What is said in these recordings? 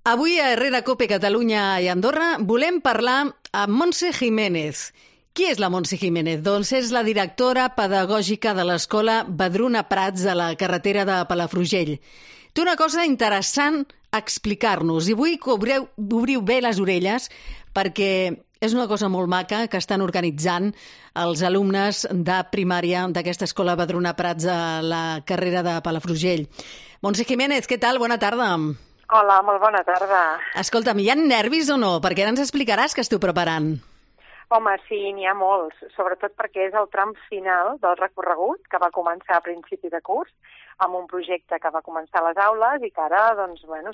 Avui a Herrera Cope Catalunya i Andorra volem parlar amb Montse Jiménez. Qui és la Montse Jiménez? Doncs és la directora pedagògica de l'escola Vedruna Prats de la carretera de Palafrugell. Té una cosa interessant a explicar-nos i vull que obriu bé les orelles perquè és una cosa molt maca que estan organitzant els alumnes de primària d'aquesta escola Vedruna Prats a la carrera de Palafrugell. Montse Jiménez, què tal? Bona tarda. Hola, molt bona tarda. Escolta'm, hi ha nervis o no? Perquè ara ens explicaràs què esteu preparant. Home, sí, n'hi ha molts, sobretot perquè és el tram final del recorregut que va començar a principi de curs amb un projecte que va començar a les aules i que ara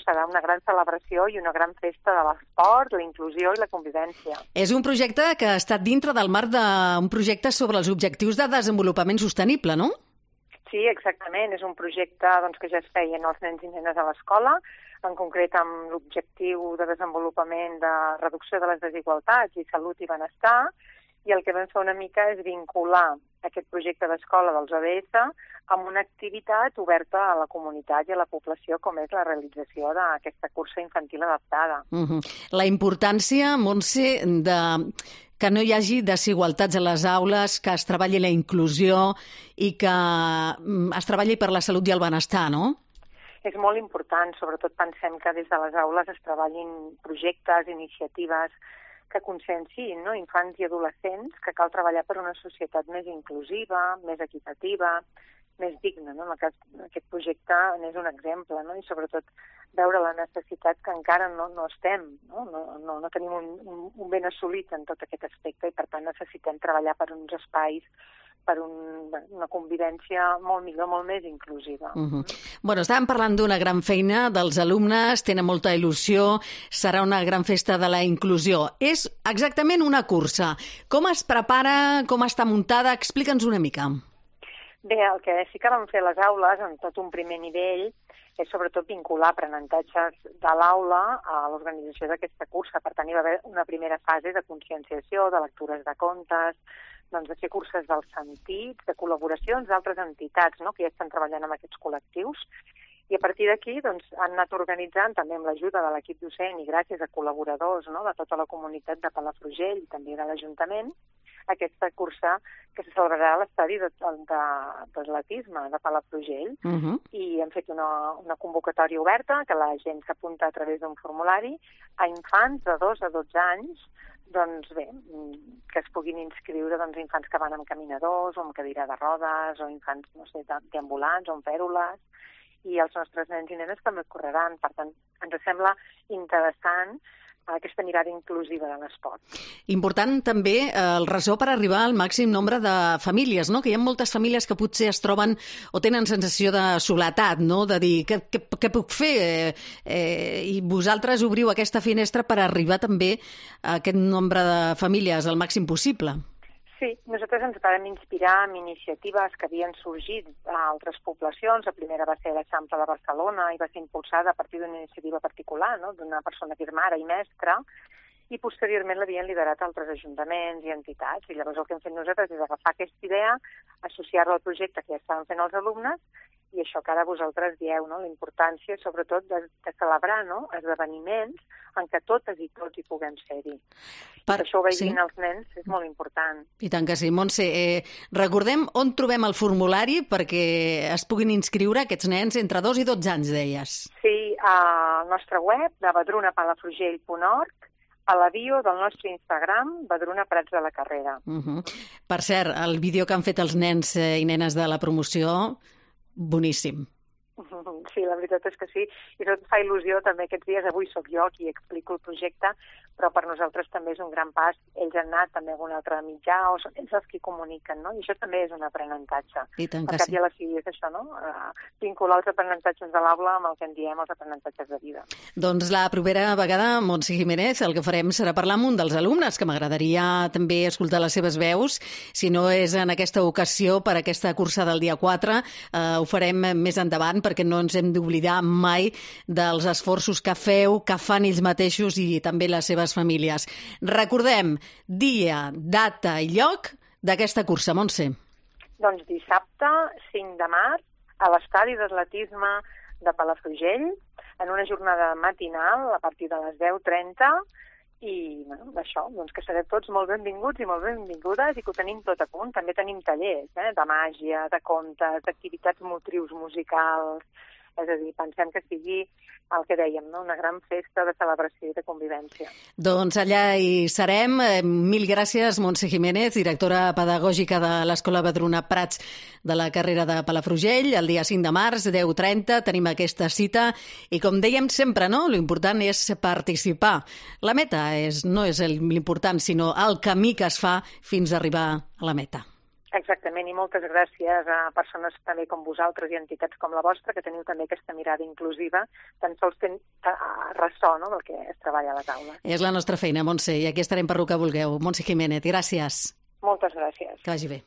serà una gran celebració i una gran festa de l'esport, la inclusió i la convivència. És un projecte que ha estat dintre del marc d'un projecte sobre els objectius de desenvolupament sostenible, no? Sí, exactament. És un projecte que ja es feien els nens i nenes a l'escola, en concret amb l'objectiu de desenvolupament de reducció de les desigualtats i salut i benestar, i el que vam fer una mica és vincular aquest projecte d'escola dels ODS amb una activitat oberta a la comunitat i a la població, com és la realització d'aquesta cursa infantil adaptada. La importància, Montse, que no hi hagi desigualtats a les aules, que es treballi la inclusió i que es treballi per la salut i el benestar, no? És molt important, sobretot pensem que des de les aules es treballin projectes, iniciatives que conscienciïn infants i adolescents que cal treballar per una societat més inclusiva, més equitativa, més digna. En el cas d'aquest projecte n'és un exemple, i sobretot veure la necessitat que encara no estem, no tenim un ben assolit en tot aquest aspecte i per tant necessitem treballar per uns espais, per una convivència molt millor, molt més inclusiva. Bueno, estàvem parlant d'una gran feina dels alumnes, tenen molta il·lusió, serà una gran festa de la inclusió. És exactament una cursa. Com es prepara, com està muntada? Explica'ns una mica. Bé, el que sí que vam fer a les aules, en tot un primer nivell, és sobretot vincular aprenentatges de l'aula a l'organització d'aquesta cursa. Per tant, hi va haver una primera fase de conscienciació, de lectures de contes, de fer curses dels sentits, de col·laboracions d'altres entitats que ja estan treballant amb aquests col·lectius. I a partir d'aquí han anat organitzant, també amb l'ajuda de l'equip docent i gràcies a col·laboradors de tota la comunitat de Palafrugell i també de l'Ajuntament, aquesta cursa que se celebrarà a l'estadi d'atletisme de Palafrugell. I hem fet una convocatòria oberta que la gent s'apunta a través d'un formulari a infants de 2 a 12 anys, que es puguin inscriure infants que van amb caminadors o amb cadira de rodes o infants, deambulants o amb fèrules, i els nostres nens i nenes també correran. Per tant, ens sembla interessant aquesta mirada inclusiva de l'esport. Important també el ressò per arribar al màxim nombre de famílies, que hi ha moltes famílies que potser es troben o tenen sensació de soledat, de dir què puc fer? I vosaltres obriu aquesta finestra per arribar també a aquest nombre de famílies al màxim possible. Sí, nosaltres ens vam inspirar en iniciatives que havien sorgit a altres poblacions. La primera va ser l'Eixample de Barcelona i va ser impulsada a partir d'una iniciativa particular, d'una persona que és mare i mestra, i posteriorment l'havien liderat altres ajuntaments i entitats. I llavors el que hem fet nosaltres és agafar aquesta idea, associar-la al projecte que ja estaven fent els alumnes, i això que ara vosaltres dieu, la importància sobretot de celebrar esdeveniments en què totes i tots hi puguem ser-hi. Això ho vegin els nens és molt important. I tant que sí. Montse, recordem on trobem el formulari perquè es puguin inscriure aquests nens entre 2 i 12 anys, deies. Sí, al nostre web de vedrunapalafrugell.org, a la bio del nostre Instagram, Vedruna Prats de la Carrera. Per cert, el vídeo que han fet els nens i nenes de la promoció, boníssim. Sí, la veritat és que sí. I tot fa il·lusió també aquests dies. Avui sóc jo qui explico el projecte, però per nosaltres també és un gran pas. Ells han anat també a algun altre mitjà o són ells els qui comuniquen, I això també és un aprenentatge. I tant que sí. I a la fi és això, vincular els aprenentatges de l'aula amb el que en diem els aprenentatges de vida. Doncs la propera vegada, Montse Jiménez, el que farem serà parlar amb un dels alumnes, que m'agradaria també escoltar les seves veus. Si no és en aquesta ocasió, per aquesta cursa del dia 4, ho farem més endavant, perquè no ens hem d'oblidar mai dels esforços que feu, que fan ells mateixos i també les seves famílies. Recordem dia, data i lloc d'aquesta cursa, Montse. Doncs dissabte, 5 de març, a l'estadi d'atletisme de Palafrugell, en una jornada matinal a partir de les 10:30 i això, doncs que sereu tots molt benvinguts i molt benvingudes i que ho tenim tot a punt. També tenim tallers de màgia, de contes, d'activitats motrius musicals, és a dir, pensem que sigui el que dèiem, una gran festa de celebració i de convivència. Doncs allà hi serem. Mil gràcies, Montse Jiménez, directora pedagògica de l'Escola Vedruna Prats de la carrera de Palafrugell. El dia 5 de març, 10:30, tenim aquesta cita i, com dèiem sempre, l'important és participar. La meta no és l'important, sinó el camí que es fa fins a arribar a la meta. Exactament, i moltes gràcies a persones també com vosaltres i entitats com la vostra, que teniu també aquesta mirada inclusiva, tan sols fent ressò del que es treballa a les aules. És la nostra feina, Montse, i aquí estarem per lo que vulgueu. Montse Jiménez, gràcies. Moltes gràcies. Que vagi bé.